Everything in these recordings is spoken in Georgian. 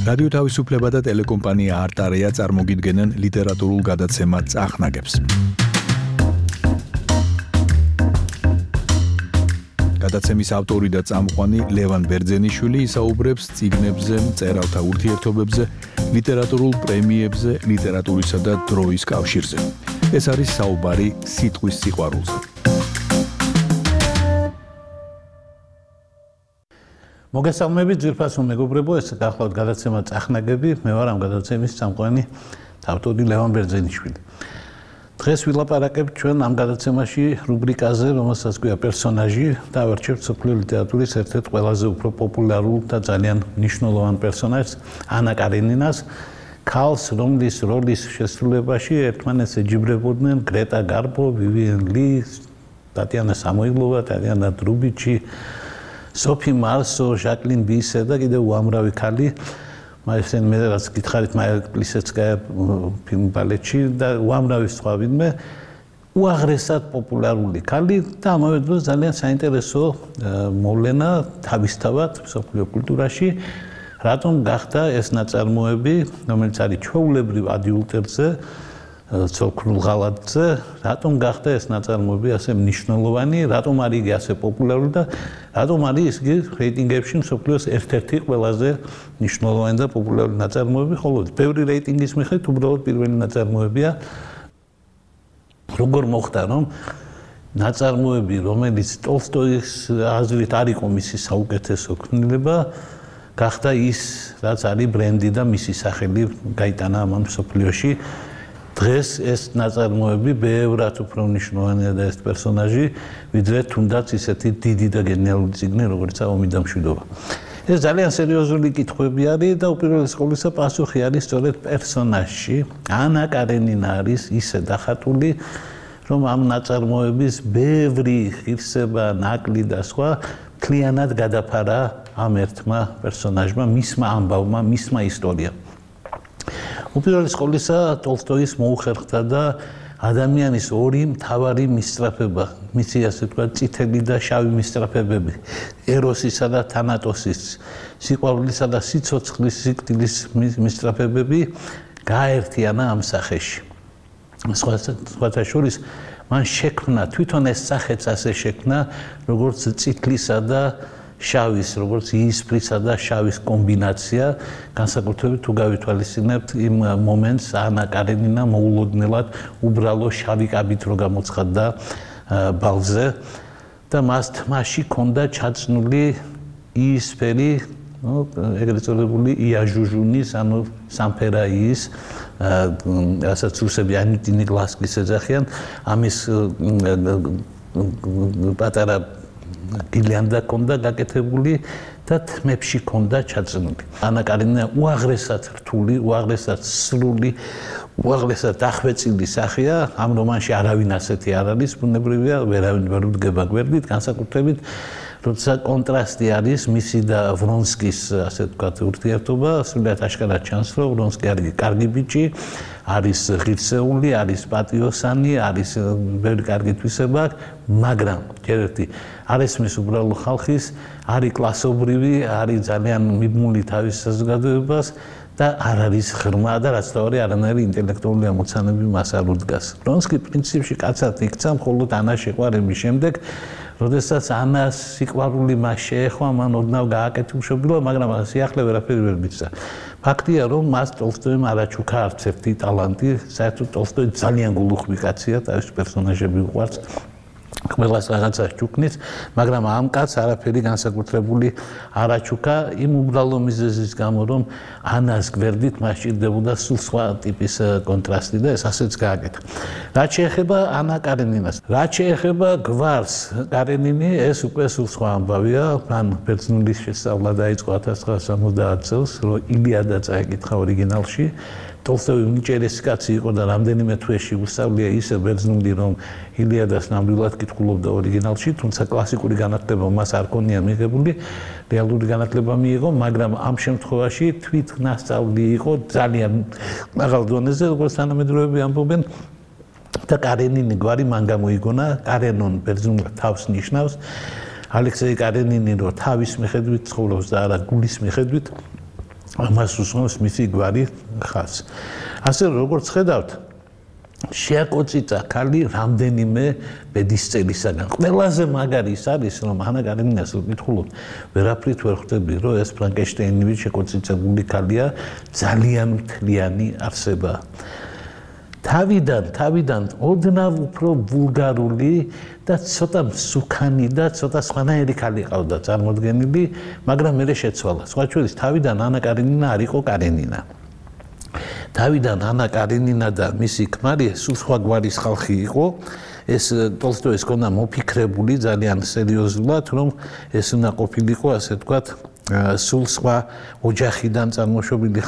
რადიო თავისუფლება და ტელეკომპანია არტარია წარმოგიდგენენ ლიტერატურულ გადაცემა წახნაგებს. გადაცემის ავტორი და წამყვანი ლევან ბერძენიშვილი ისაუბრებს წიგნებზე, მწერალთა ურთიერთობებზე, ლიტერატურულ პრემიებზე, ლიტერატურისა და დროის კავშირზე. ეს არის საუბარი სიტყვის სიყვარულზე. მოგესალმებით ძვირფასო მეგობრებო, ეს გახლავთ გადაცემა წახნაგები, მე ვარ ამ გადაცემის წამყვანი ავტორი ლევან ბერძენიშვილი. დღეს ვილაპარაკებთ ჩვენ ამ გადაცემაში რუბრიკაზე, რომელსაც ქვია პერსონაჟი და ვერჩევთ სოფლიო ლიტერატურის ერთ-ერთ ყველაზე უფრო პოპულარულ და ძალიან მნიშვნელოვან პერსონაჟს, ანა კარენინას, ქალს, რომლის როლის შესრულებაში ერთმანეთს ეჯიბრებოდნენ გრეტა გარბო, ვივიენ ალი, ტატიანა სამოილოვა, ტატიანა დრუბიჩი, სოფი მარსო, ჟაკლინ ბისე და კიდევ უამრავი ქალი. მაისენ მე რაც გითხარით მაია პლისეცკაია ფილმ ბალეტში და უამრავი სხვა ვინმე უაღრესად პოპულარული ქალი და ამავე დროს ძალიან საინტერესო მოვლენა თავისთავად სოფლიო კულტურაში, რატომ გახდა ეს ნაწარმოები, რომელიც არის ჩვეულებრივ ადიულტერზე, ცოლ-ქმრულ ღალატზე, რატომ გახდა ეს ნაწარმოები ასე მნიშვნელოვანი, რატომ არის იგი ასე პოპულარული და რატომ არის იგი რეიტინგებში მსოფლიოს ერთ-ერთი ყველაზე მნიშვნელოვანი და პოპულარული ნაწარმოები, ხოლო ბევრი რეიტინგის მიხედვით უბრალოდ პირველი ნაწარმოებია. როგორ მოხდა, რომ ნაწარმოები, რომელიც ტოლსტოის აზრით არ იყო მისი საუკეთესო ქმნილება, გახდა ის, რაც არის ბრენდი და მისი სახელი გაიტანა ამ მსოფლიოში. დღეს ეს ნაწარმოები ბევრად უფრო მნიშვნელოვანია და ეს პერსონაჟი, ვიდრე თუნდაც ისეთი დიდი და გენიალური წიგნი, როგორიცაა ომი და მშვიდობა. ეს ძალიან სერიოზული კითხვები არის და უპირველეს ყოვლისა პასუხი არის სწორედ პერსონაჟში. ანა კარენინა არის ისე დახატული, რომ ამ ნაწარმოების ბევრი ღირსება, ნაკლი და სხვა მთლიანად გადაფარა ამ ერთმა პერსონაჟმა, მისმა ამბავმა, მისმა ისტორიამ. უპირველეს ყოვლისა ტოლსტოის მოუხერხდა და ადამიანის ორი მთავარი მისწრაფება, მისი ასე ვთქვათ, წითელი და შავი მისწრაფებები, ეროსისა და თანატოსის, სიყვარულისა და სიცოცხლის, სიკვდილის მისწრაფებები გააერთიანა ამ სახეში. სხვათა შორის მან შექმნა თვითონ ეს სახეც ასე შექმნა, როგორც წითლისა და შავის, როგორც იისფრისა და შავის კომბინაცია, განსაკუთრებით თუ გავითვალისწინებთ იმ მომენტს, ანა კარენინა მოულოდნელად უბრალო შავი კაბით რო გამოცხადდა ბალზე და მას თმაში ჰქონდა ჩაწნული იისფერი, ეგრეთ წოდებული იაჟუჟუნის, ანუ სამფერაიის, რასაც რუსები ანიტინი გლასკის ეძახიან, ამის პატარა გილიანდა ჰქონდა გაკეთებული და თმებში ჰქონდა ჩაწნული. ანა კარენინა უაღრესად რთული, უაღრესად სრული, უაღრესად დახვეწილი სახეა. ამ რომანში არავინ ასეთი არ არის, ბუნებრივია, ვერავინ ვერ უდგება გვერდით, განსაკუთრებით როცა კონტრასტი არის მისი და ვრონსკის, ასე ვთქვათ, ურთიერთობა, სრულიად აშკარად ჩანს, რომ ვრონსკი არის კარგი ბიჭი, არის ღირსეული, არის პატიოსანი, არის ბევრი კარგი თვისება, მაგრამ ჯერ ერთი არ ესმის უბრალო ხალხის, არის კლასობრივი, არის ძალიან მიბმული თავის საზოგადოებას და არ არის ღრმა და რაც თავი არანაირი ინტელექტუალური ამოცანები მას არ უდგას. ვრონსკი პრინციპში კაცად იქცა მხოლოდ ანას შეყვარების შემდეგ, როდესაც ანას სიყვარული მას შეეხვა, მან ოდნავ გააკეთებშობილა, მაგრამ სიახლე ვერაფერი ვერ მისცა. ფაქტია, რომ მას ტოლსტოიმ არ აჩუქა არც ერთი ტალანტი, საერთოდ ტოლსტოი ძალიან გულუხვი კაცია, თავის პერსონაჟები უყვარს. ყველას რაღაცას ჩუქნის, მაგრამ ამ კაცს არაფერი განსაკუთრებული არ აჩუქა იმ უბრალო მიზეზის გამო, რომ ანას გვერდით მას ჭირდებოდა სულ სხვა ტიპის კონტრასტი და ეს ასეც გააკეთა. რაც შეეხება ანა კარენინას, რაც შეეხება გვარს კარენინი, ეს უკვე სულ სხვა ამბავია. მან ბერძნულის შესწავლა დაიწყო 1970 წელს, რომ ილიადა წაეკითხა ორიგინალში. ტოლსტოი უნიჭერესი კაცი იყო და რამდენიმე თვეში უსწავლია ისე ბერძნული, რომ ილიადას ნამდვილად კითხულობდა ორიგინალში, თუმცა კლასიკური განათლება მას არ ქონია მიღებული, რეალური განათლება მიიღო, მაგრამ ამ შემთხვევაში თვითნასწავლი იყო ძალიან მაღალ დონეზე, როგორც თანამედროვეები ამბობენ. და კარენინი გვარი მან გამოიგონა, კარენონ ბერძნულად თავს ნიშნავს. ალექსეი კარენინი რო თავის მიხედვით ცხოვრობს და არა გულის მიხედვით ამას უსწრებს მისი გვარი ხაზს. ასე როგორც ხედავთ, შეაკოწიტა ქალი რამდენიმე ბედისწერისაგან. ყველაზე მაგარი ის არის, რომ ანა კარენინას ვკითხულობ, ვერაფრით ვერ ხვდები, რომ ეს ფრანკენშტეინივით შეკოწიწებული ქალია, ძალიან მთლიანი არსება. თავიდან ოდნავ უფრო ვულგარული და ცოტა მსუქანი და ცოტა სხვანაირი ქალი ყავდა წარმოდგენილი, მაგრამ მე შეცვალა. სხვა შორის თავიდან ანა კარენინა არ იყო კარენინა. თავიდან ანა კარენინა და მისი ქმარი სულ სხვა გვარის ხალხი იყო. ეს ტოლსტოის ქონა მოფიქრებული ძალიან სერიოზულად, რომ ეს უნდა ყოფილიყო, ასე ვთქვათ, სულ სხვა ოჯახიდან წარმოშობილი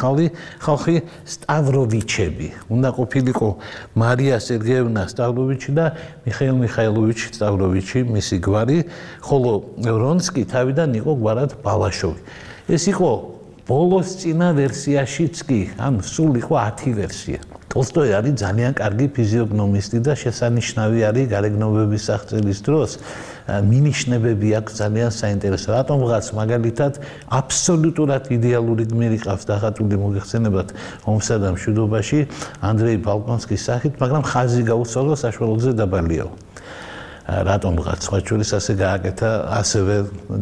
ხალხი სტავროვიჩები. უნდა ყოფილიყო მარია სერგეევნა სტავროვიჩი და მიხეილ მიხაილოვიჩი სტავროვიჩი, მისი გვარი, ხოლო ვრონსკი თავიდან იყო გვარად ბალაშოვი. ეს იყო ბოლოს წინა ვერსიაშიც კი, ანუ სულ იყო 10 ვერსია. ტოლსტოი არის ძალიან კარგი ფიზიოგნომისტი და შესანიშნავი არის გარეგნობების აღწერის დროს. მინიშნებები აქვს ძალიან საინტერესო. რატომღაც მაგალითად აბსოლუტურად იდეალური გმირი ყავს დახატული მოგეხსენებათ ომსა და მშვიდობაში ანდრეი ბალკონსკის სახით, მაგრამ ხაზი გაუსწორდა საშუალოზე დაბალიაო. რატომღაც სხვა შორის ასე გააკეთა ასევე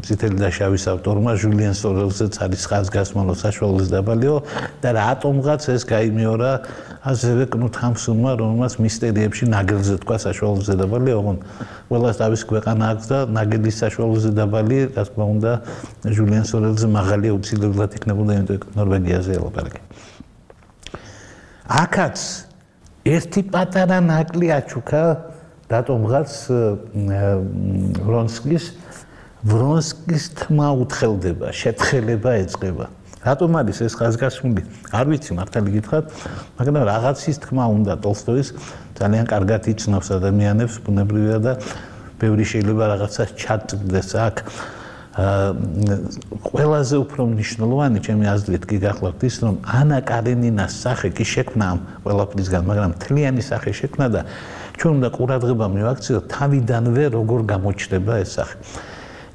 წითელი და შავის ავტორმა ჟულიან სორელზეც არის ხაზგასმალო საშუალოზე დაბალიო და რატომღაც ეს გაიმეორა ასევე კნუთ ჰამსუნმა, რომელმაც მისტერიებში ნაგელზე თქვა საშუალოზე დაბალი, ოღონდ ყველას თავის ქვეყანა აქვს და ნაგელის საშუალოზე დაბალი, რა თქმა უნდა, ჟულიან სორელზე მაღალია უცილებლად იქნებოდა, იმიტომ ნორვეგიაზე ელაპარაკე. აქაც ერთი პატარა ნაკლი აჩუქა რატომღაც ვრონსკის თმა უთხელდება, შეთხელება ეწყება. რატომ არის ეს ხაზგასმული? არ ვიცი მართალი გითხრათ, მაგრამ რაღაცის თქმა უნდა ტოლსტოის ძალიან კარგად იცნობს ადამიანებს, ბუნებრივია და ბევრი შეიძლება რაღაცას ჩატყდეს აქ. ყველაზე უფრო მნიშვნელოვანი ჩემი აზრით კი გახლავთ ის, რომ ანა კარენინას სახე კი შექმნა ამ ყველაფრისგან, მაგრამ მთლიანი სახე შექმნა და ჩვენ უნდა ყურადღება მივაქციოთ თავიდანვე როგორ გამოჩნდება ეს სახე.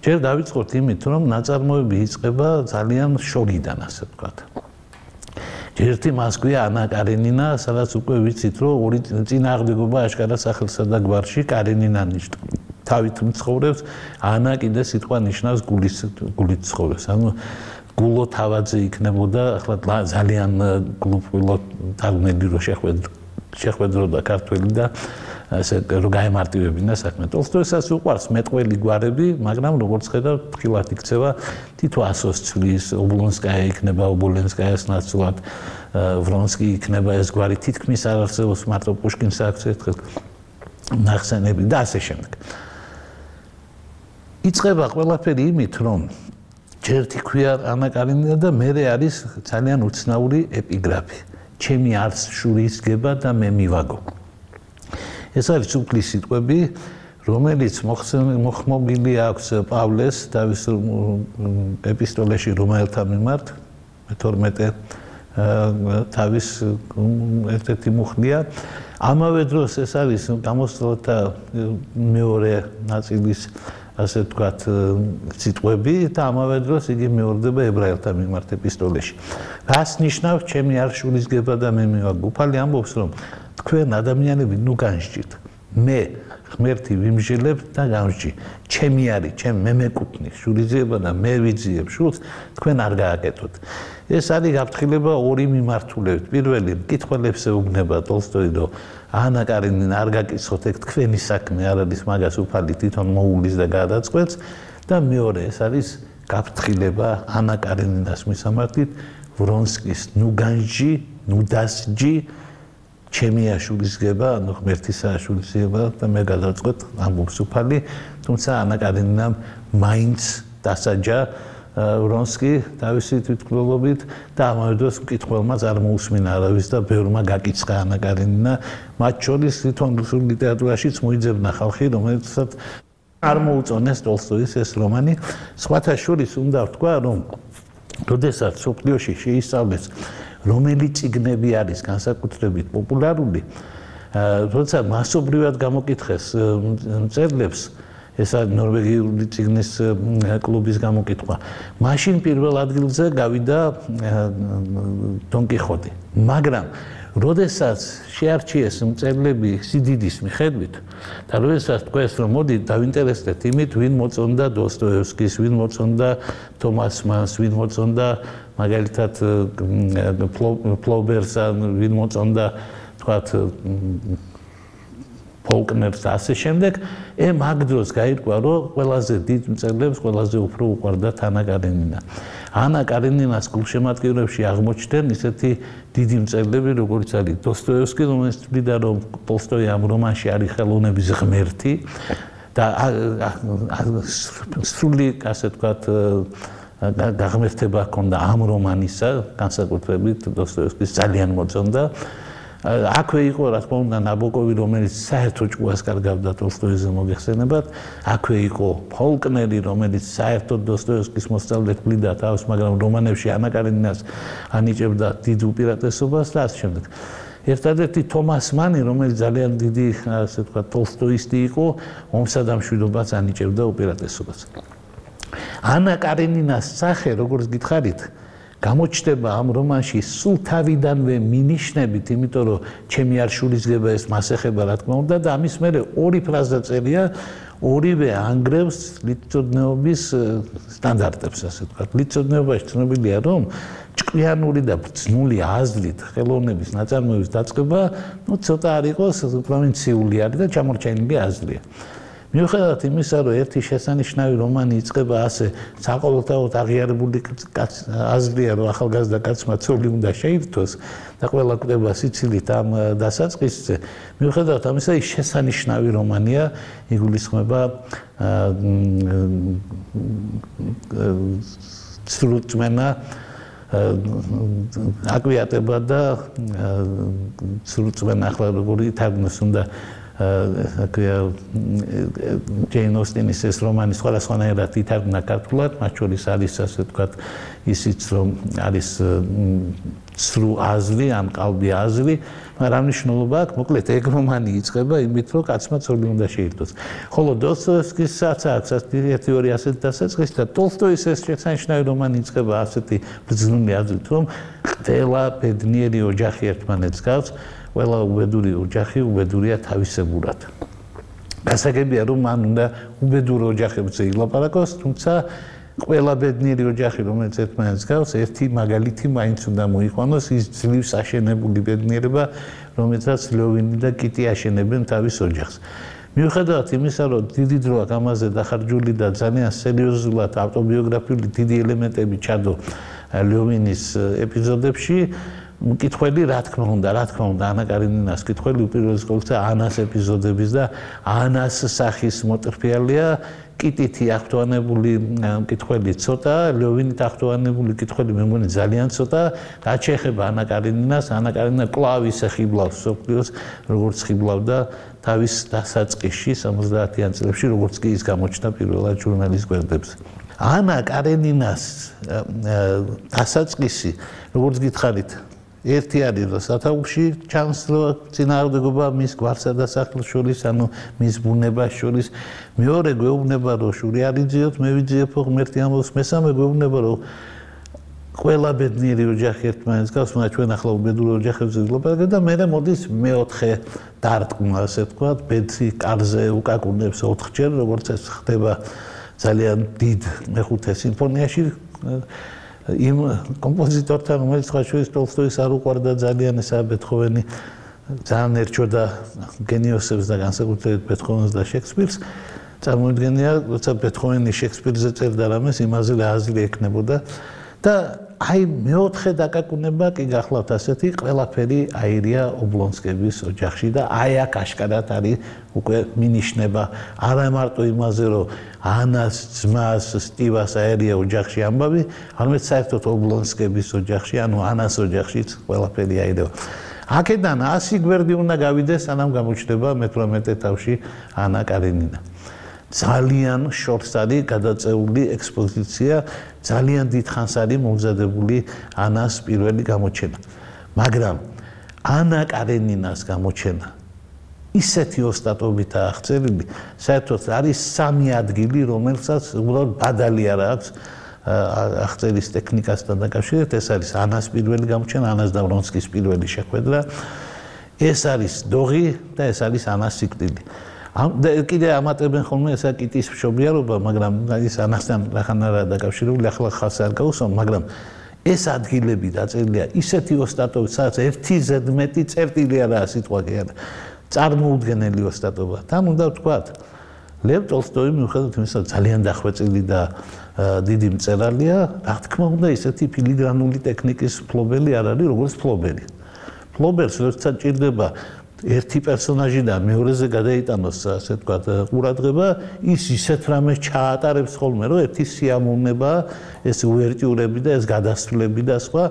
ჯერ დავიწყოთ იმით, რომ ნაწარმოები იწყება ძალიან შორიდან, ასე ვთქვათ. ერთი მასგვია ანა კარენინა, სადაც უკვე ვიცით, რომ ორი წინააღმდეგობა აშკარად სახელსა და გვარში კარენინა ნიშნავს. თავით მცხოვრებს, ანა კიდე სიტყვა ნიშნავს გულით ცხოვრებს. ანუ გულო თავაძე იქნებოდა, ახლა ძალიან გულო თარგმნელი რო შეხვედროდა ქართველი და ასე რომ გაემარტივებინა საქმე. ტოლსტოისაც უყვარს მეტყველი გვარები, მაგრამ როგორც ხედავთ, ფრთხილად იქცევა თითო ასოს ცვლის, ობლონსკაია იქნება ობოლენსკაიას ნაცვლად, ვრონსკი იქნება ეს გვარი თითქმის არ არსებობს, მარტო პუშკინს აქვს ერთხელ ნახსენები და ასე შემდეგ. იწყება ყველაფერი იმით, რომ ჯერ თქვია ანა კარენინა და მერე არის ძალიან უცნაური ეპიგრაფი. ჩემი არც შურის გება და მე მივაგო. ეს არის უფლის სიტყვები, რომელიც მოხმობილი აქვს პავლეს თავის ეპისტოლეში რომაელთა მიმართ, 12 თავის ერთ-ერთი მუხლია. ამავე დროს ეს არის გამოსვლათა მეორე ნაწილის ასე ვთქვათ სიტყვები და ამავე დროს იგი მეორდება ებრაელთა მიმართ ეპისტოლეში. რას ნიშნავს ჩემი არ შურის გება და მე მივაგო? უფალი ამბობს, რომ თქვენ ადამიანები ნუ განსჯით. მე ღმერთი ვიმსჯელებ და გამსჯი. ჩემი არის, ჩემ მე მეკუთვნის შურიზება და მე ვიძიებ შულს, თქვენ არ გააკეთოთ. ეს არის გაფრთხილება ორი მიმართულებით. პირველი მკითხველებს ეუბნება ტოლსტოი, რომ ანა კარენინა არ გაკითხოთ, ეგ თქვენი საქმე არ არის, მაგას უფალი თვითონ მოულის და გადაწყვეტს და მეორე ეს არის გაფრთხილება ანა კარენინას მისამართით, ვრონსკის ნუ განსჯი, ნუ დასჯი ჩემია შურისგება, ანუ ღმერთისა შურისგება და მე გადავწყვეტ ამბობს უფალი, თუმცა ანა კარენინამ მაინც დასაჯა ვრონსკი თავისი თვითმკვლელობით და ამავე დროს მკითხველმაც არ მოусმინა არავის და ბევრმა გაკიცხა ანა კარენინა, მათ შორის თვითონ რუსულ ლიტერატურაშიც მოიძებნა ხალხი, რომელსაც არ მოუწონეს ტოლსტოის ეს რომანი. სხვათა შორის უნდა ვთქვა, რომ როდესაც სოფლიოში შეისწავლეს რომელი წიგნები არის განსაკუთრებით პოპულარული, როცა მასობრივად გამოკითხეს მწერლებს, ესა ნორვეგიული წიგნის კლუბის გამოკითხვა. მაშინ პირველ ადგილზე გავიდა დონ კიხოტი. მაგრამ როდესაც შეარჩიეს მწერლები სიდიდის მიხედვით და როდესაც თქვეს რომ მოდი დავინტერესდეთ იმით ვინ მოწონდა დოსტოევსკის, ვინ მოწონდა თომას მანს, ვინ მოწონდა მაგალითად ფლობერს, ვინ მოწონდა თქვათ ფოლკნერს და ასე შემდეგ, მაგ დროს გაირკვა რომ ყველაზე დიდ მწერლებს ყველაზე უფრო უყვარდა ანა კარენინა. ანა კარენინას გულშემატკივრებში აღმოჩნდნენ ისეთი დიდი მწერლები, როგორც არის დოსტოევსკი, რომელიც თვლიდა რომ ტოლსტოი ამ რომანში არის ხელოვნების ღმერთი და სრული, ასე ვთქვათ, გაღმერთება ჰქონდა ამ რომანისა, განსაკუთრებით დოსტოევსკის ძალიან მოწონდა. აქვე იყო, რა თქმა უნდა, ნაბოკოვი, რომელიც საერთო ჭკუას კარგავდა ტოლსტოიზე მოგეხსენებათ, აქვე იყო ფოლკნერი, რომელიც საერთოდ დოსტოევსკის მოსწავლედ თვლიდა თავს, მაგრამ რომანებში ანა კარენინას ანიჭებდა დიდ უპირატესობას და ასე შემდეგ. ერთადერთი თომას მანი, რომელიც ძალიან დიდი, ასე ვთქვათ, ტოლსტოისტი იყო, ომსა და მშვიდობას ანიჭებდა უპირატესობას. ანა კარენინას სახე, როგორც გითხარით, გამოჩნდება ამ რომანში სულ თავიდანვე მინიშნებით, იმიტომ რომ ჩემი არ შურისგება ეს მასეხება, რა თქმა უნდა, და ამის მერე ორი ფრაზა წერია, ორივე ანგრევს ლიტწოდნეობის სტანდარტებს, ასე ვთქვათ. ლიტწოდნეობაში ცნობილია, რომ ჭკვიანური და ბრძნული აზრით ხელოვნების ნაწარმოების დაწყება, ცოტა არ იყოს პროვინციული არის და ჩამორჩენილი აზრია. მიუხედავად იმისა, რომ ერთი შესანიშნავი რომანი იწყება ასე საყოველთაოდ აღიარებული აზრია, რომ ახალგაზრდა კაცმა ცოლი უნდა შეირთოს და ყველა კვდება სიცილით ამ დასაწყისზე, მიუხედავად ამისა, ის შესანიშნავი რომანია, იგულისხმება სრულწმენა, აკვიატება და სრულწმენა, ახლა როგორი თარგმნოს უნდა ჯეინ ოსტინის ეს რომანი სხვადასხვანაირად ითარგმნა ქართულად, მათ შორის არის, ასე ვთქვათ, ისიც რომ არის სრულ აზრი, ან ყალბი აზრი, მაგრამ მნიშვნელობა აქვს, მოკლედ ეგ რომანი იწყება იმით, რომ კაცმა ცოლი უნდა შეირთოს. ხოლო დოსტოევსკისაც აქვს ერთი ორი ასეთი დასაწყისი და ტოლსტოის ეს შესანიშნავი რომანი იწყება ასეთი ბრძნული აზრით, რომ ყველა ბედნიერი ოჯახი ერთმანეთს გავს, ყველა უბედური ოჯახი უბედურია თავისებურად. გასაგებია, რომ მან უნდა უბედურ ოჯახებზე ილაპარაკოს, თუმცა ყველა ბედნიერი ოჯახი, რომელიც ერთმანეთს გავს, ერთი მაგალითი მაინც უნდა მოიყვანოს, ის ძლივს აშენებული ბედნიერება, რომელსაც ლევინი და კიტი აშენებენ თავის ოჯახს. მიუხედავად იმისა, რომ დიდი დრო აქვს ამაზე დახარჯული და ძალიან სერიოზულად ავტობიოგრაფიული დიდი ელემენტები ჩადო ლევინის ეპიზოდებში, კითხველი რა თქმა უნდა, ანა კარენინას კითხველი უპირველეს ყოვლისა ანას ეპიზოდების და ანას სახის მოტრფიალია, კიტითი აღთვალებული კითხველი ცოტა, ლევინით აღთვალებული კითხველი მე მგონი ძალიან ცოტა, რაც შეეხება ანა კარენინას, ანა კარენინა კვლავ ისე ხიბლავს სოფლიოს, როგორც ხიბლავდა თავის დასაწყისში 70-იან წლებში, როგორც კი ის გამოჩნდა პირველად ჟურნალის გვერდებზე. ანა კარენინას დასაწყისი, როგორც გითხარით, ერთი არის რომ სათაურში ჩანს რომ წინააღმდეგობა მის გვარსა და სახლს შორის, ანუ მის ბუნებას შორის, მეორე გვეუბნება რომ შური არ იძიოთ, მე ვიძიებო ღმერთი ამბობს, მესამე გვეუბნება რომ ყველა ბედნიერი ოჯახი ერთმანეთს გავს, მაგრამ ჩვენ ახლა უბედურ ოჯახებზე ვილაპარაკებთ და მე მოდის მეოთხე დარტყმა, ასე ვთქვათ, ბედნიერი კარზე უკაკუნებს 4-ჯერ, როგორც ეს ხდება ძალიან დიდ მეხუთე სიმფონიაში. იმ კომპოზიტორთან, რომელიც ხაშურის ტოლსტოის არ უყვარდა ძალიან, ესაა ბეთჰოვენი, ძალიან ერჩოდა გენიოსებს და განსაკუთრებით ბეთჰოვენს და შექსპირს. წარმოიდგენია, როცა ბეთჰოვენი შექსპირზე წერდა რამეს, იმაზე აზრი ექნებოდა და აი მეოთხე დაკაკუნება კი გახლავთ ასეთი, ყველაფერი აირია ობლონსკების ოჯახში და აი აქ აშკარად არის უკვე მინიშნება არა მარტო იმაზე, რომ ანას ძმას სტივას აერია ოჯახში ამბავი, არამედ საერთოდ ობლონსკების ოჯახში, ანუ ანას ოჯახშიც ყველაფერი აირება. აქედან 100 გვერდი უნდა გავიდეს, სანამ გამოჩნდება მე-18 თავში ანა კარენინა. ძალიან შორს არის გადაწეული ექსპოზიცია, ძალიან დიდხანს არის მომზადებული ანას პირველი გამოჩენა. მაგრამ ანა კარენინას გამოჩენა ისეთი ოსტატობით აღწერილი, საერთოდ არის 3 ადგილი, რომელსაც უბრალოდ ბადალი არ აქვს აღწერის ტექნიკასთან დაკავშირებით. ეს არის ანას პირველი გამოჩენა, ანას და ვრონსკის პირველი შეხვედრა. ეს არის დოღი და ეს არის ანას სიკვდილი. კიდე ამატებენ ხოლმე ესა კიტის მშობიარობა, მაგრამ ის ანასთან რახან არა დაკავშირებული, ახლა ხალხს არ გაუსვამ, მაგრამ ეს ადგილები დაწერილია ისეთი ოსტატობით, სადაც 1 ზედმეტი წერტილი არაა სიტყვა კი არა. წარმოუდგენელი ოსტატობა. თან უნდა ვთქვათ, ლევ ტოლსტოი მიუხედავად იმისა, ძალიან დახვეწილი და დიდი მწერალია, რა თქმა უნდა, ისეთი ფილიგრანული ტექნიკის მფლობელი არ არის, როგორც მფლობელი. მფლობელს როდესაც ჭირდება ერთი პერსონაჟიდან მეორეზე გადაიტანოს, ასე ვთქვათ, ყურადღება, ის ისეთ რამეს ჩაატარებს ხოლმე, რომ ერთი სიამოვნება, ეს უვერტიურები და ეს გადასვლები და სხვა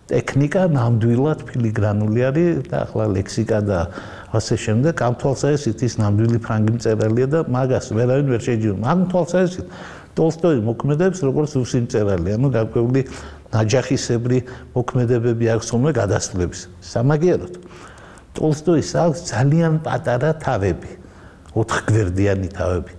ტექნიკა ნამდვილად ფილიგრანული არის და ახლა ლექსიკა და ასე შემდეგ, ამ თვალსაზრისით ის ნამდვილი ფრანგი მწერალია და მაგას ვერავინ ვერ შეჯიბრებს. ამ თვალსაზრისით ტოლსტოი მოქმედებს როგორც რუსი მწერალი, ანუ გარკვეული ნაჯახისებრი მოქმედებები აქვს ხოლმე გადასვლების. სამაგიეროდ ტოლსტოის აქვს ძალიან პატარა თავები, 4 გვერდიანი თავები,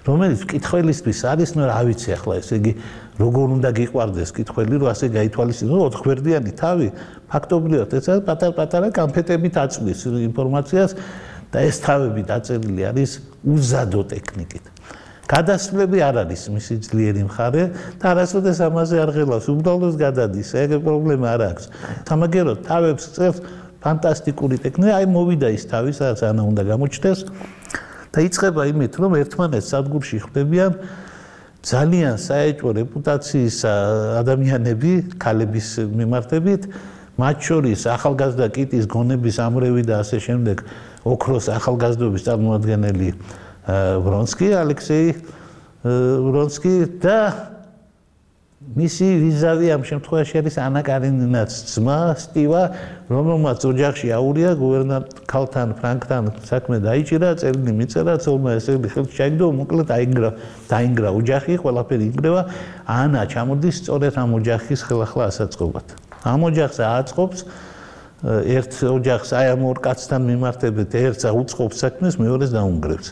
რომელიც მკითხველისთვის არის, ნუ რა ვიცი ახლა, ესე იგი, როგორ უნდა გიყვარდეს მკითხველი, რომ ასე გაითვალისწინოს, 4 გვერდიანი თავი, ფაქტობრივად ეს არის პატარ-პატარა კამფეტებით აწვდის ინფორმაციას და ეს თავები დაწერილი არის უზადო ტექნიკით. გადასვლები არ არის მისი ძლიერი მხარე და არასოდეს ამაზე არ ღელავს, უბრალოდ გადადის, ეგ პრობლემა არ აქვს. სამაგიეროდ თავებს წერს ფანტასტიკური ტექნიკა, აი მოვიდა ის თავი, სადაც ანა უნდა გამოჩნდეს და იწყება იმით, რომ ერთმანეთს სადგურში ხვდებიან ძალიან საეჭვო რეპუტაციის ადამიანები, ქალების მიმართებით, მათ შორის ახალგაზრდა კიტის გონების ამრევი და ასე შემდეგ, ოქროს ახალგაზრდობის წარმოადგენელი ვრონსკი, ალექსეი ვრონსკი და მისი ვიზავი ამ შემთხვევაში არის ანა კარენინაც ძმა სტივა, რომელმაც ოჯახში აურია გუბერნატორთან ფრანკთან საქმე დაიჭირა, წერილი მიწერა, ცოლმა ესე ხელში ჩაიგდო, მოკლედ დაინგრა ოჯახი, ყველაფერი ინგრევა. ანა ჩამოდის სწორედ ამ ოჯახის ხელახლა ასაწყობად. ამ ოჯახს ააწყობს ერთ ოჯახს აი ამ ორ კაცთან მიმართებით, ერთს აუწყობს საქმეს, მეორეს დაუნგრევს.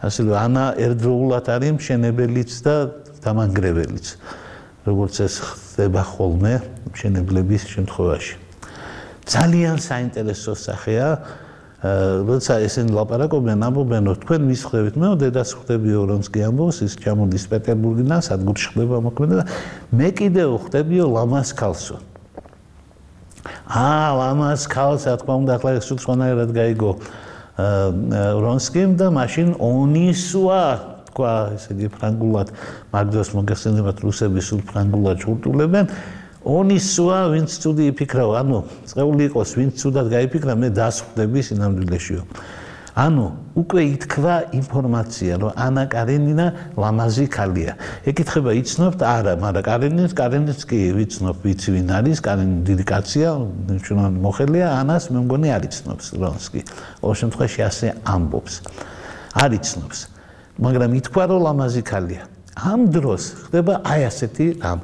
ასე რომ ანა ერთდროულად არის მშენებელიც და დამანგრეველიც. როგორც ეს ხდება ხოლმე მშენებლების შემთხვევაში. ძალიან საინტერესო სახეა, როცა ესენი ლაპარაკობენ, ამბობენ, რომ თქვენ მის ხვდებით, მე დედას ხვდებიო, ვრონსკი ამბობს, ის ჩამოდის პეტერბურგიდან, სადგურში ხდება მოქმედება, მე კიდევ ხვდებიო ლამას ქალსო. ლამას ქალს, რა თქმა უნდა, ახლა ეს სხვანაირად გაიგო ვრონსკიმ და მაშინ ონისვა თქვა, ესე იგი ფრანგულად, მაგდროს მოგეხსენებათ რუსები სულ ფრანგულად ჩურტულებენ. ონისვა, ვინც ცუდი იფიქრა, ანუ წეული იყოს, ვინც ცუდად გაიფიქრა, მე დასხვდები სინამდვილეშიო. ანუ უკვე ითქვა ინფორმაცია, რომ ანა კარენინა ლამაზი ქალია. ეკითხება, იცნობთ? არა, მაგრამ კარენინს კი ვიცნობ, ვიცი ვინ არის, კარენინი დიდი კაცია, მნიშვნელოვანი მოხელეა, ანას მე მგონი არ იცნობს ვრონსკი. ყოველ შემთხვევაში ასე ამბობს. არ იცნობს. მაგრამ ითქვა, რომ ლამაზი ქალია. ამ დროს ხდება აი ასეთი რამ.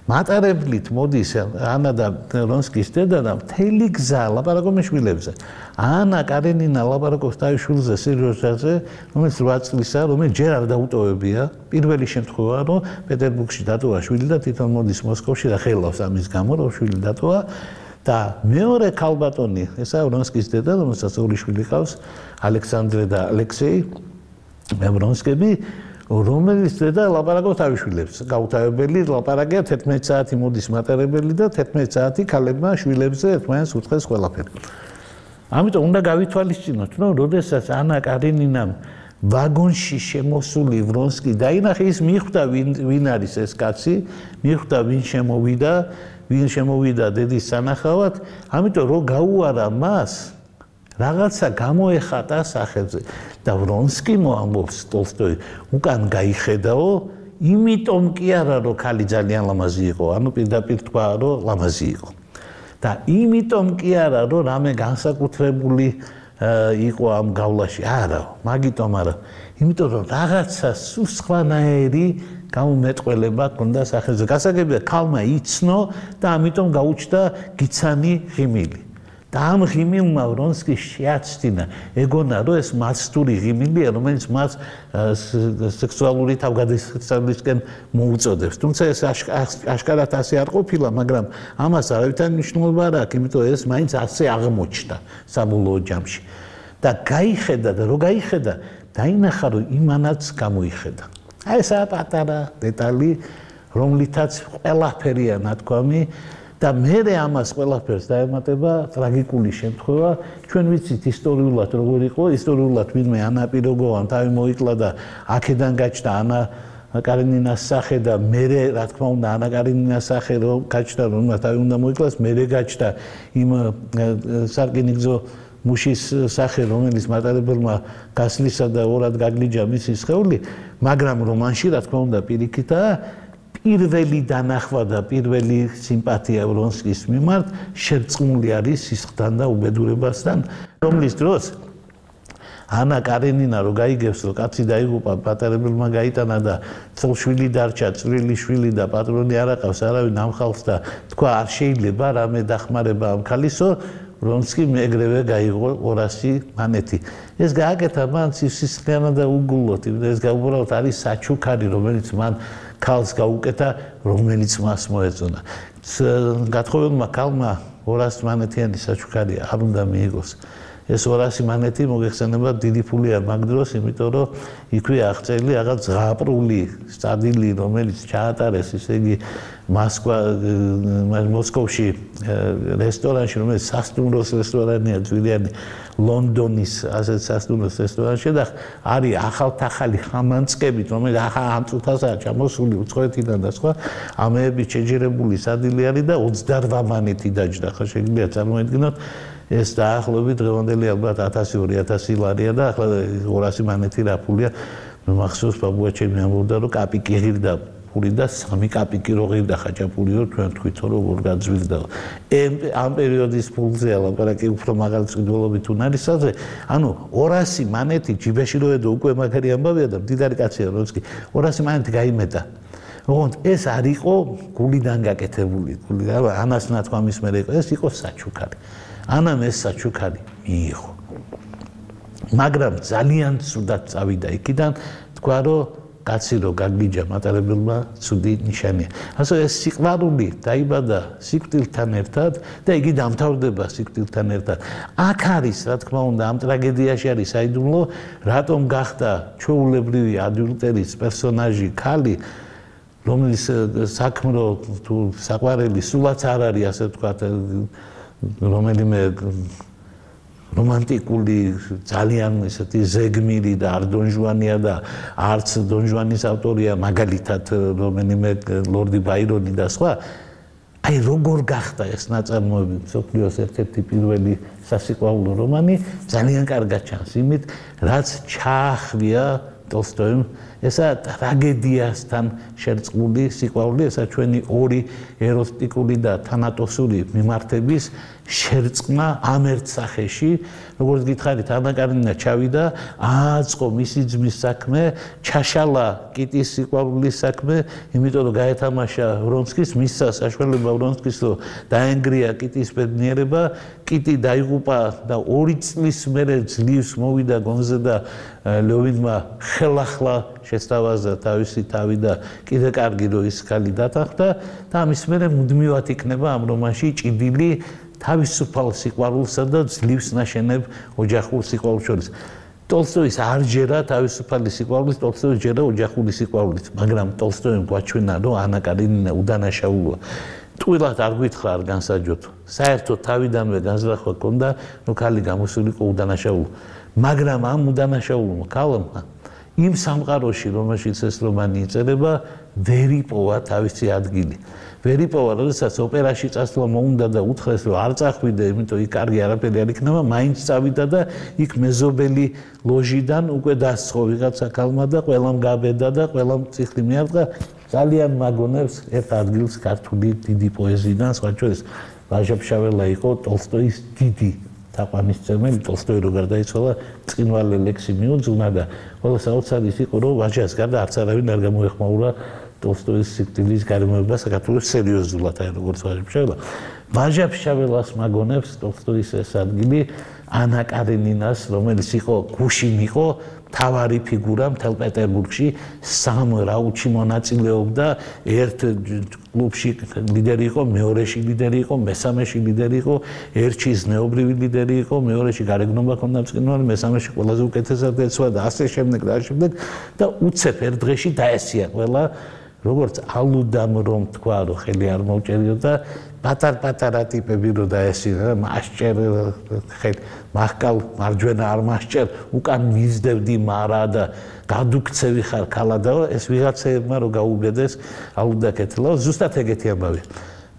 მატარებლით მოდის ანა და ვრონსკის დედა და მთელი გზა ლაპარაკობს შვილებზე. ანა კარენინა ლაპარაკობს თავის შვილზე სერიოზაზე, რომელიც 8 წლისაა, რომელიც ჯერ არ დაუტოვებია. პირველი შემთხვევაა, რომ პეტერბურგში დატოვა შვილი და თვითონ მოდის მოსკოვში და ხელავს ამის გამო, რომ შვილი დატოვა. და მეორე ქალბატონი, ესაა ვრონსკის დედა, რომელსაც ორი შვილი ჰყავს, ალექსანდრე და ალექსეი ვრონსკები, რომელიც დედა ლაპარაკობს თავის შვილებს. გაუთავებელი ლაპარაკია 11 საათი მოდის მატარებელი და 11 საათი ქალებმა შვილებზე ერთმანეთს უწყეს ყველაფერი. ამიტომ უნდა გავითვალისწინოთ, რომ როდესაც ანა კარენინამ ვაგონში შემოსული ვრონსკი დაინახე, ის მიხვდა ვინ არის ეს კაცი, მიხვდა ვინ შემოვიდა დედის სანახავად, ამიტომ რომ გაუარა მას რაღაცა გამოეხატა სახელზე და ვრონსკი მოამბობს ტოლსტოი უკან გაიხედაო, იმიტომ კი არა რომ ქალი ძალიან ლამაზი იყო, ანუ პირდაპირ თქვა რომ ლამაზი იყო. და იმიტომ კი არა რომ რამე განსაკუთრებული იყო ამ გავლაში, არა, მაგიტომ არა. იმიტომ რომ რაღაცა სულ სხვანაირი გამომეტყველება ქონდა სახელზე. გასაგებია ქალმა იცნო და ამიტომ გაუჩნდა გიცანი ღიმილი. და ამ ღიმილმა ვრონსკი შეაცდინა ეგონა რომ ეს მასტური ღიმილია რომელიც მას სექსუალური თავგადასავლისკენ მოუწოდებს თუმცა ეს აშკარად ასე არ ყოფილა მაგრამ ამას არავითარი მნიშვნელობა არ აქვს იმიტომ ეს მაინც ასე აღმოჩნდა საბოლოო ჯამში და გაიხედა და რო გაიხედა დაინახა რომ იმანაც გამოიხედა აი ესა პატარა დეტალი რომლითაც ყველაფერია ნათქვამი და მე ამას ყველაფერს დაემატება ტრაგიკული შემთხვევა ჩვენ ვიცით ისტორიულად როგორ იყო ისტორიულად ვინმე ანა პიროგოვან თავი მოიკლა და აქედან გაჩნდა ანა კარენინას სახე და მე რა თქმა უნდა ანა კარენინას სახე რომ გაჩნდა რომ თავი უნდა მოიკლას მე გაჩნდა იმ სარკინიგზო მუშის სახე რომელიც მატარებელმა გასლისა და ორად გაგლიჯა მისი სხეული მაგრამ რომანში რა თქმა უნდა პირიქითაა პირველი დანახვა და პირველი სიმპათია ვრონსკის მიმართ შერწყმული არის სისხლთან და უბედურებასთან რომლის დროს ანა კარენინა რო გაიგებს რომ კაცი დაიღუპა პატარებელმა გაიტანა და წლშვილი დარჩა წვრილი შვილი და პატრონი არ აყავს არავინ ამხალხს და თქვა არ შეიძლება რამე დახმარება ამ ქალისო ვრონსკი მეგრევე გაიღო 200 მანეთი ეს გააკეთა მან სისხლიანად და უგულოდ ეს უბრალოდ არის საჩუქარი რომელიც მან ქალს გაუკეთა რომელიც მას მოეწონა გათხოვებულმა ქალმა 200 მანეთიანი საჩუქარი არ უნდა მიიღოს ეს 200 მანეთი მოგეხსენება დიდი ფულია მაგ დროს იმიტომ რომ იქვე აღწერილი რაღაც ზღაპრული სტადილი რომელიც ჩაატარეს ისე იგი მოსკოვში რესტორანში რომელიც სასტუმროს რესტორანია ძვირიანი ლონდონის ასეთ სასტუმროს რესტორანში და არის ახალ-ახალი ხამანწკებით რომელიც ახალ ამ წუთასაა ჩამოსული უცხოეთიდან და სხვა ამეები შეჯერებული სადილი არის და 28 მანეთი დაჯდა ხო შეგიძლია წარმოედგინოთ ეს დაახლოებით დღევანდელი ალბათ 1000-2000 ლარია და ახლა 200 მანეთი რა ფულია მახსოვს ბაბუა ჩემი ამბობდა რომ კაპიკი ღირდა ფული და 3 კაპიკი რო ღირდა ხაჭაპურიო ჩვენ თქვითო როგორ გაძვირდა ამ პერიოდის ფულზე ლაპარაკი უფრო მაგალითს ყიდულობით უნარისაზე ანუ 200 მანეთი ჯიბეში რო ედო უკვე მაგარი ამბავია და მდიდარი კაცია როცკი 200 მანეთი გაიმეტა ოღონდ ეს არ იყო გულიდან გაკეთებული გული ანას ნათქვამის მერე იყო ეს იყო საჩუქარი ანამ ეს საჩუქარი მიიღო მაგრამ ძალიან ცუდად წავიდა იქიდან თქვა რომ კაცი რო გაგლიჯა მატარებელმა ცუდი ნიშანია ასე ეს სიყვარული დაიბადა სიკვდილთან ერთად და იგი დამთავრდება სიკვდილთან ერთად აქ არის რა თქმა უნდა ამ ტრაგედიაში არის საიდუმლო რატომ გახდა ჩვეულებრივი ადიუტერის პერსონაჟი ქალი რომლის საქმრო თუ საყვარელი სულაც არ არის ასე ვთქვათ რომელიმე რომანტიკული ძალიან ესეთი ზეგმირი და არ დონჟუანია და არც დონჟუანის ავტორია მაგალითად რომელიმე ლორდი ბაირონი და სხვა აი როგორ გახდა ეს ნაწარმოები მსოფლიოს ერთ-ერთი პირველი სასიყვარულო რომანი ძალიან კარგად ჩანს იმით რაც ჩაახვია ტოლსტოიმ ესა ტრაგედიასთან შერწყმული სიყვარული ესა ჩვენი ორი ეროტიკული და თანატოსური მიმართების შერწყმა ამ ერთ სახეში როგორც გითხარით ანა კარენინა ჩავიდა ააწყო მისი ძმის საქმე ჩაშალა კიტის სიყვარულის საქმე იმიტომ რომ გაეთამაშა ვრონსკის მისცა საშუალება ვრონსკის რომ დაენგრია კიტის ბედნიერება კიტი დაიღუპა და 2 წლის მერე ძლივს მოვიდა გონზე და ლევინმა ხელახლა შესთავაზა თავისი თავი და კიდე კარგი რომ ის ქალი დათანხმდა და ამის მერე მუდმივად იქნება ამ რომანში ჭიდილი თავისუფალ სიყვარულსა და ძლივს ნაშენებ ოჯახურ სიყვარულს შორის. ტოლსტოის არ ჯერა თავისუფალი სიყვარულით, ტოლსტოის ჯერა ოჯახური სიყვარულით, მაგრამ ტოლსტოიმ გვაჩვენა, რომ ანა კარენინა უდანაშაულოა. ტყუილად არ გითხრა არ განსაჯოთ. საერთოდ თავიდანვე განზრახვა ჰქონდა, რომ ქალი გამოსულიყო უდანაშაულო. მაგრამ ამ უდანაშაულო ქალმა იმ სამყაროში, რომელშიც ეს რომანი იწერება, ვერ იპოვა თავისი ადგილი. ვერ იპოვა, როდესაც ოპერაში წასვლა მოუნდა და უთხრეს, რომ არ წახვიდე, იმიტომ იქ კარგი არაფერი არ იქნება, მაინც წავიდა და იქ მეზობელი ლოჟიდან უკვე დასწყო ვიღაცა ქალმა და ყველამ გაბედა და ყველამ წიხლი მიარტყა. ძალიან მაგონებს ერთ ადგილს ქართული დიდი პოეზიიდან, სხვა შორის ვაჟა-ფშაველა იყო ტოლსტოის დიდი თაყვანისმცემელი, ტოლსტოი რო გარდაიცვალა, წინვალე ლექსი მიუძღვნა და ყველა საოცარი იყო, რომ ვაჟას გარდა არც არავინ არ გამოეხმაურა ტოლსტოის სიკვდილის გარემოება საქართველოს სერიოზულად, აი როგორც ვაჟა-ფშაველა. ვაჟა-ფშაველას მაგონებს ტოლსტოის ეს ადგილი ანა კარენინას, რომელიც იყო გუშინ იყო თავარი ფიგურა მთელ პეტერბურგში, სამ რაუნდში მონაწილეობდა, ერთ კლუბში ლიდერი იყო, მეორეში ლიდერი იყო, მესამეში ლიდერი იყო, ერთში ზნეობრივი ლიდერი იყო, მეორეში გარეგნობა ჰქონდა მწყინვარი, მესამეში ყველაზე უკეთესად ეცვა და ასე შემდეგ და ასე შემდეგ და უცებ ერთ დღეში დაესია ყველა როგორც ალუდამ რომ თქვა რომ ხელი არ მოუჭერიოდა პატარ-პატარა ტიპები რო დაესინა მასჭერ ხელი მახკალ მარჯვენა არ მასჭერ უკან მიზდებდი მარა და გადუქცევი ხარ ქალადაო ეს ვიღაცებმა რო გაუგედეს ალუდაკეთლა ზუსტად ეგეთი ამბავი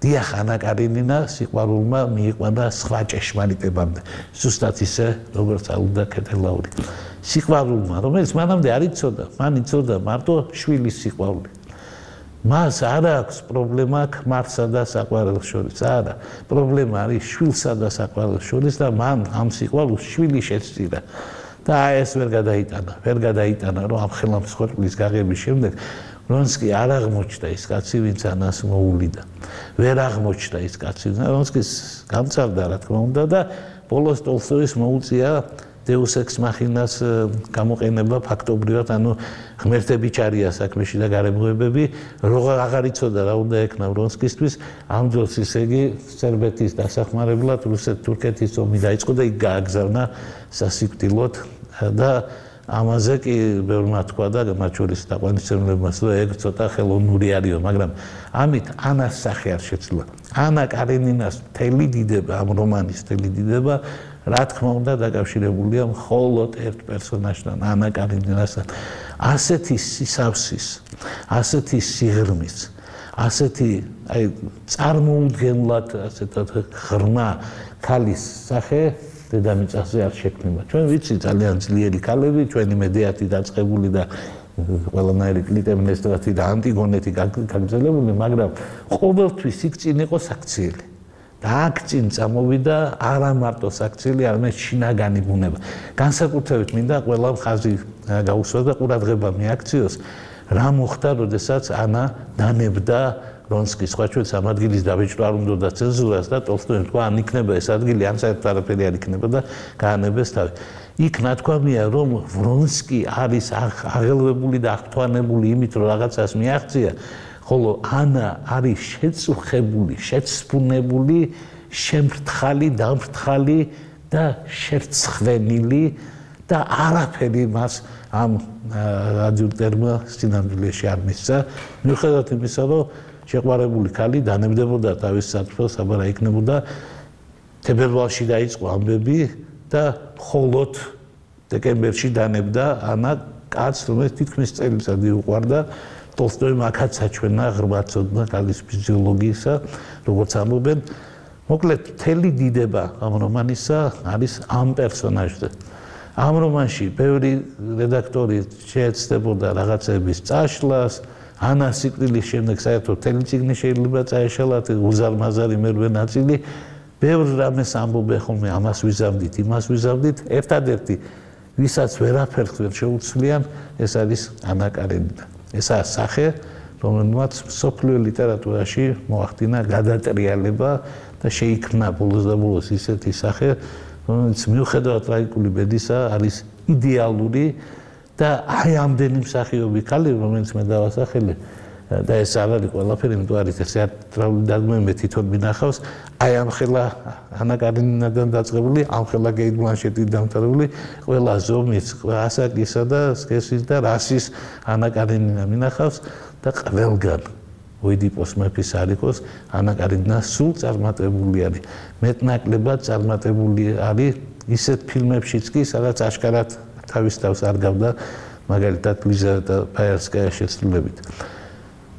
დიახ ანა კარენინა სიყვარულმა მიიყვანა სხვა ჭეშმარიტებამდე ზუსტად ისე როგორც ალუდაკეთლაური სიყვარულმა რომელიც მანამდე არ იცოდა მან იცოდა მარტო შვილის სიყვარული მას არ აქვს პრობლემა ქმარსა და საყვარელს შორის არა პრობლემა არის შვილსა და საყვარელს შორის და მან ამ სიყვარულს შვილი შეცდირა და ეს ვერ გადაიტანა რომ ამ ხელამსხვერპლის გაღების შემდეგ რონსკი არ აღმოჩნდა ის კაცი ვინც ანას მოულიდა ვერ აღმოჩნდა ის კაცი რონსკის გამწარდა რა თქმა უნდა და ბოლოს ტოლსტოის მოუწია Deus ex machinას გამოყენება ფაქტობრივად, ანუ ღმერთები ჩარია საქმეში და გარემოებები, როგორ აღარ იცოდა რა უნდა ეკნა ვრონსკისთვის, ამ დროს ისე იგი სერბეთის დასახმარებლად რუსეთ-თურქეთის ომი დაიწყო და იქ გააგზავნა სასიკვდილოდ და ამაზე კი ბევრმა თქვა და მათ შორის დაყვანისმცემლებმაც, რომ ეგ ცოტა ხელოვნური არისო, მაგრამ ამით ანას სახე არ შეცვლა. ანა კარენინას მთელი დიდება, ამ რომანის მთელი დიდება რა თქმა უნდა დაკავშირებულია მხოლოდ ერთ პერსონაჟთან, ანა კარენინასთან. ასეთი სისავსის, ასეთი სიღრმის, ასეთი აი წარმოუდგენლად ასეთად ღრმა ქალის სახე დედამიწაზე არ შექმნება. ჩვენ ვიცი ძალიან ძლიერი ქალები, ჩვენი მედიათი დაწყებული და ყველანაირი კლიტემნესტრათი და ანტიგონეთი გაგრძელებული, მაგრამ ყოველთვის იქ წინ იყო საქციელი. და აქ წინ წამოვიდა არა მარტო საქციელი, არამედ შინაგანი ბუნება. განსაკუთრებით მინდა ყველა მხაზი გაუსვა და ყურადღება მიაქციოს, რა მოხდა, როდესაც ანა დანებდა რონსკის სხვა ჩვენს ამ ადგილის დაბეჭდა არ უნდა ცენზურას და ტოლსტოიმ თქვა, ან იქნება ეს ადგილი, ან საერთოდ არაფერი არ იქნება და გაანებეს თავი. იქ ნათქვამია, რომ ვრონსკი არის აღელვებული და აღთვალებული იმით, რომ რაღაცას მიაღწია, ხოლო ანა არის შეწუხებული, შეცფუნებული, შემრთხალი, დამრთხალი და შერცხვენილი და არაფერი მას ამ ადიუტერმა სინამდვილეში არ მისცა, მიუხედავად იმისა, რომ შეყვარებული ქალი დანებდებოდა თავის სათვალს, აბა რა იქნებოდა თებერვალში დაიწყო ამბები და მხოლოდ დეკემბერში დანებდა ანა კაცს, რომელიც თითქმის წელიწადი უყვარდა. ტოლსტოიმ აქაც საჩვენა ღრმად ცოდნა ქალის ფიზიოლოგიისა, როგორც ამბობენ. მოკლედ, მთელი დიდება ამ რომანისა არის ამ პერსონაჟზე. ამ რომანში ბევრი რედაქტორი შეეცდებოდა რაღაცების წაშლას, ანას სიკვდილის შემდეგ საერთოდ მთელი წიგნი შეიძლება წაეშალათ, უზარმაზარი მერვე ნაწილი. ბევრ რამეს ამბობენ ხოლმე, ამას ვიზამდით, იმას ვიზამდით. ერთადერთი, ვისაც ვერაფერს ვერ შეუცვლიან, ეს არის ანა კარენინა. ესაა სახე, რომელმაც მსოფლიო ლიტერატურაში მოახდინა გადატრიალება და შეიქმნა ბოლოს და ბოლოს ისეთი სახე, რომელიც მიუხედავად ტრაგიკული ბედისა არის იდეალური და აი ამდენი მსახიობი ქალი, რომელიც მე დავასახელე და ეს არ არის ყველაფერი, იმიტომ არის ეს თეატრალური დადგმები მე თვითონ მინახავს, აი ამ ხელა ანა კარენინადან დაწყებული, ამ ხელა კეიტ ბლანშეტით დამთავრებული, ყველა ზომის, ასაკისა და სქესის და რასის ანა კარენინა მინახავს და ყველგან ოიდიპოს მეფის არ იყოს, ანა კარენინა სულ წარმატებული არის. მეტნაკლებად წარმატებული არის ისეთ ფილმებშიც კი, სადაც აშკარად თავის თავს არ გავდა, მაგალითად ლიზავეტა ბაიერსკაიას შესრულებით.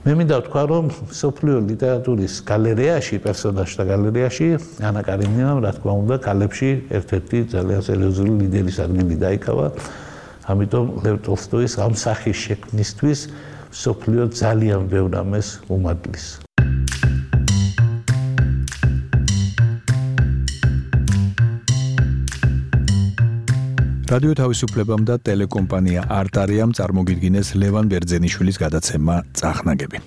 მე მინდა ვთქვა, რომ მსოფლიო ლიტერატურის გალერეაში, პერსონაჟთა გალერეაში ანა კარენინამ, რა თქმა უნდა, ქალებში ერთ-ერთი ძალიან სერიოზული ლიდერის ადგილი დაიკავა. ამიტომ ლევ ტოლსტოის ამ სახის შექმნისთვის მსოფლიო ძალიან ბევრ რამეს უმადლის. რადიო თავისუფლებამ და ტელეკომპანია არტარიამ წარმოგიდგინეს ლევან ბერძენიშვილის გადაცემა წახნაგები.